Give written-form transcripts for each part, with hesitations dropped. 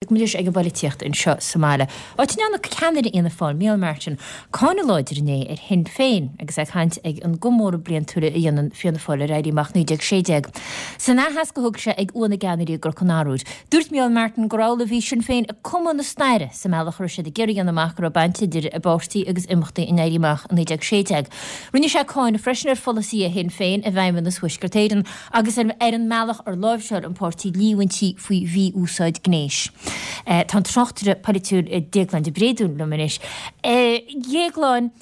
Bogaimis ag an bpolaitíocht anseo sa mbaile, áit a ndearna ceannaire Fhianna Fáil, Micheál Martin, cáineadh láidir inné ar Shinn Féin agus é ag caint ag an gcomóradh bliantúil a dhéanann Fianna Fáil ar Éirí Amach 1916. San aitheasc a thug sé ag Uaimh na gCeannairí i gCnoc an Arbhair, dúirt Micheál Martin gur amhlaidh a bhí Sinn Féin ag cumadh na staire sa mbealach a raibh siad ag iarraidh a dhéanamh amach go raibh baint idir a bpáirtí agus imeachtaí an Éirí Amach i 1916. Rinne sé cáineadh freisin ar pholasaithe Shinn Féin i bhFeidhmeannas Thuaisceart Éireann agus ar an mbealach ar láimhseáil an páirtí líomhaintí faoi mhí-úsáid gnéis. Tá an tráchtaire polaitiúil Déaglán de Bréadún liom anois. A Dhéagláin,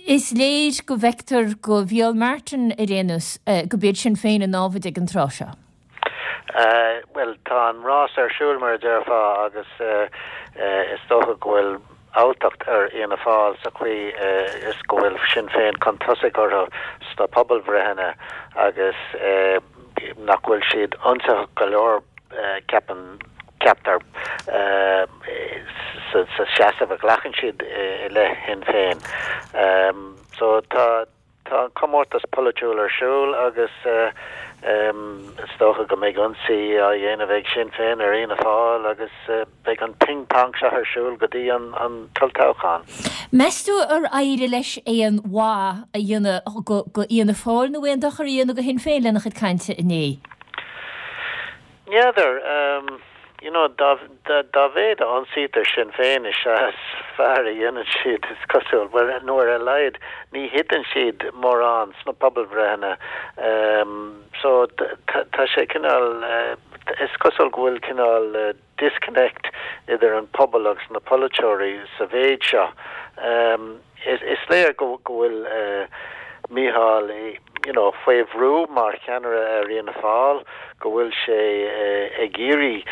is léir go bhfeictear do Mhícheál Martin ar aon nós gurb iad Sinn Féin an námhaid ag an tráth seo. Bhuel, tá an rás ar siúl, mar a déarfá, agus is dócha go bhfuil alltacht ar Fhianna Fáil sa chaoi is go bhfuil Sinn Féin chun tosaigh orthu sna pobalbhreitheanna agus nach bhfuil siad ionsaitheach go leor, ceapaim, ceaptar, sa seasamh a ghlacann siad i leith Shinn Féin. So tá. Tá an comórtas polaitiúil ar siúl agus is dócha go mbeidh ionsaí á dhéanamh ag Sinn Féin ar Fhianna Fáil agus beidh an ping pong seo ar siúl go dtí an t-olltoghchán. Meas tú ar éirigh leis aon mhaith a dhéanamh go Fhianna Fáil nó aon dochar a dhéanamh go Shinn Féin lena chuid cainte inné? N'fheadar. You know, dá, dá mhéad a ionsaítear Sinn Féin is ea is fearr a dhéanann siad, is cosúil. Bhuel, nó ar a laghad ní thiteann siad mórán sna pobalbhreitheanna. So, tá sé cineál, is cosúil go bhfuil cineál disconnect idir an pobal agus na polaiteoirí sa mhéid seo. Is léir go bhfuil Mícheál you know faoi bhrú mar cheannaire ar Fhianna Fáil, go bhfuil sé ag iarraidh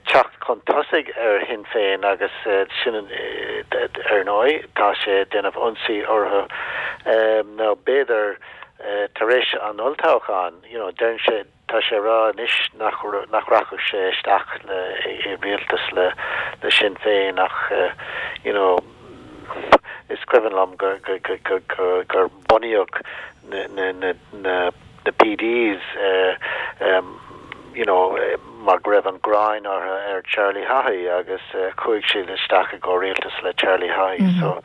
teacht chun tosaigh ar Shinn Féin agus sin ar ndóigh tá sé ag déanamh ionsaí orthu. Nó b'fhéidir tar éis an olltoghcháin you know deireann sé Tá sé ag rá anois nach nach rachadh sé isteach le i rialtas le le Sinn Féin ach you know is cuimhin liom gur gur gur gur gur bunaíodh na na na na na PDs you know mar go raibh an ghráin orthu ar Charlie Haughey agus chuaigh siad isteach i gcomhrialtas le Charlie Haughey so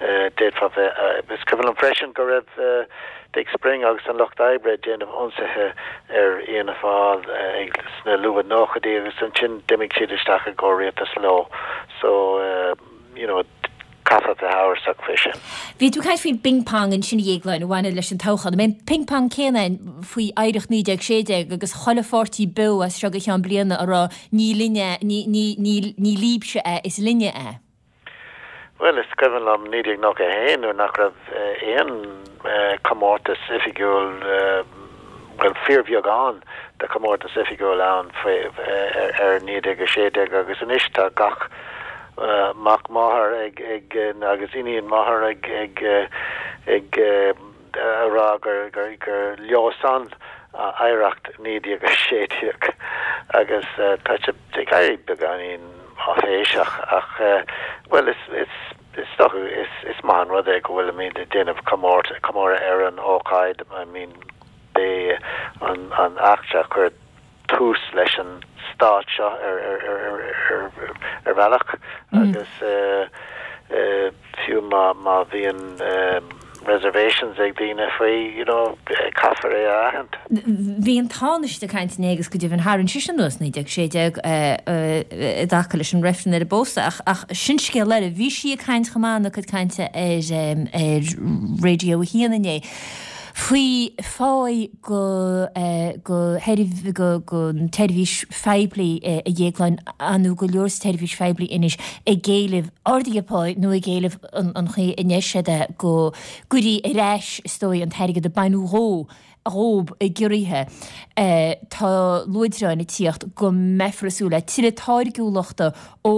d'fhéadfá bheith is cuimhin liom freisin go raibh Dick Spring agus an Lucht Oibre ag déanamh ionsaithe ar Fhianna Fáil sna luath nóchaidí agus ansin d'imigh siad isteach i gcomhrialtas leo so you know caithfear bheith amhrasach faoi sin. Bhí tú ag caint faoin bping pong ansin a Dhéagláin a bhaineann leis an toghchán. An mbeidh an ping pong céanna ann faoi oidhreacht 1916 agus chuile pháirtí beo as seo go ceann bliana a rá ní linne, ní, ní, ní, ní libhse é, is linne é. Bhuel, is cuimhin liom 1991 nuair nach raibh aon chomórtas oifigiúil, bhuel, fíorbheagán de chomórtas oifigiúil ann faoi, ar 1916 agus anois tá gach mac máthar ag, ag, agus iníon máthar ag, ag, ag, a rá gur, gur, gur leo san oidhreacht 1916 agus tá sé ag éirí beagáinín áiféiseach ach, bhuel, is, is, is dócha, is, is maith an rud é go bhfuilimid ag déanamh comóradh ar an ócáid, I mean, b'é an, an eachtra a chuir tús leis an stát seo ar, ar, ar, ar, ar bhealach agus fiú má, má bhíonn reservations ag daoine faoi, you know, caithfear é a aithint. Bhí an Tánaiste ag caint inné agus go deimhin tharraing sise anuas 1916 i dtaca leis an reifreann ar an bpósadh ach, ach sin scéal eile. Bhí sí ag caint chomh maith ina cuid cainte ar, ar Radio 1 inné faoi pháí go, go, go, gon tseirbhís phoiblí a Dhéagláin, nó go leor sa tseirbhís phoiblí anois ag éileamh arduithe páí nó ag éileamh an chaoi a ndeir siad é, go gcuirfí ar ais, is dóigh, an t-airgead a baineadh dhó, dhób i gciorruithe. Tá luaidreáin ag tíocht go mbeifear ag súil le tuilleadh táirgiúlachta ó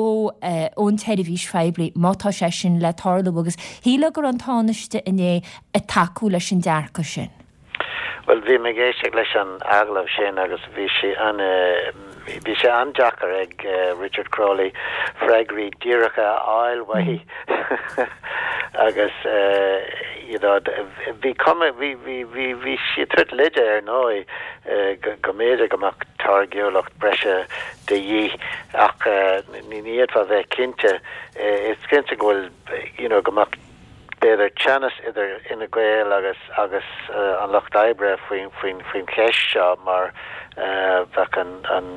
ón tseirbhís phoiblí má tá sé sin le tarlú agus shílfeá go raibh an Tánaiste inné ag tacú leis an dearcadh sin. Bhuel, bhí mé ag éisteacht leis an agallamh sin agus bhí sé an, bhí sé an-deacair ag Richard Crowley freagraí díreacha a fháil uaithi agus you. You know, bhí cuma, bhí, bhí, bhí, bhí sí ag tabhairt leide ar ndóigh go mb'fhéidir go mbeadh táirgiúlacht breise de dhíth ach ní fhéadfá a bheith cinnte. Is cinnte go bhfuil, you know, go mbeadh b'fhéidir teannas idir Fhine Gael agus, agus an Lucht Oibre faoin, faoin, faoin cheist seo mar bheadh an, an,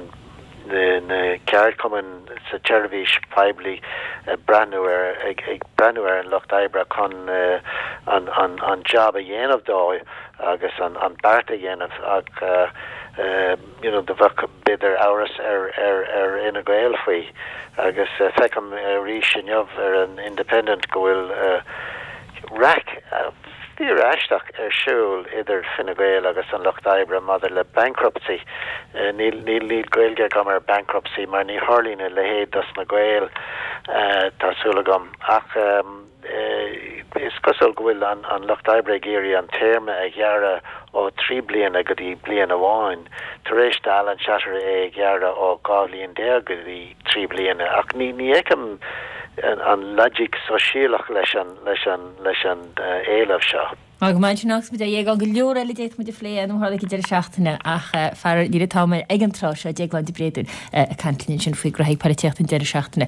na ceardchumainn sa tseirbhís phoiblí ag breathnú ar ag breathnú ar an Lucht Oibre chun an an an jab a dhéanamh dóibh agus an an beart a dhéanamh ach you know do bheadh b'fhéidir amhras ar ar ar Fhine Gael faoi agus feicim arís inniu ar an Independent go bhfuil raic fíor-aisteach ar siúl idir Fine Gael agus an Lucht Oibre maidir le bankruptcy. Níl níl Gaeilge agam ar bankruptcy mar ní tharlaíonn a leithéid dos na Gaeil, tá súil agam. Ach is cosúil go bhfuil an Lucht Oibre ag iarraidh an téarma a ghearradh ó 3 bliana go dtí bliain amháin, tar éis d'Alan Shatter é a ghearradh ó 12 bhliain go dtí 3 bliana. Ach ní fheicim an logic sóisialach leis an leis an leis an éileamh seo. Go maith sin agus muid á dhéagán go leor eile d'fhéadfadh muid a phlé nó tharla ag an deireadh seachtaine ach faraor níl an t-am ag an tráth seo Déaglán de Bréadún ag caint linn ansin faoi ghraithí polaitíochta an deireadh seachtaine.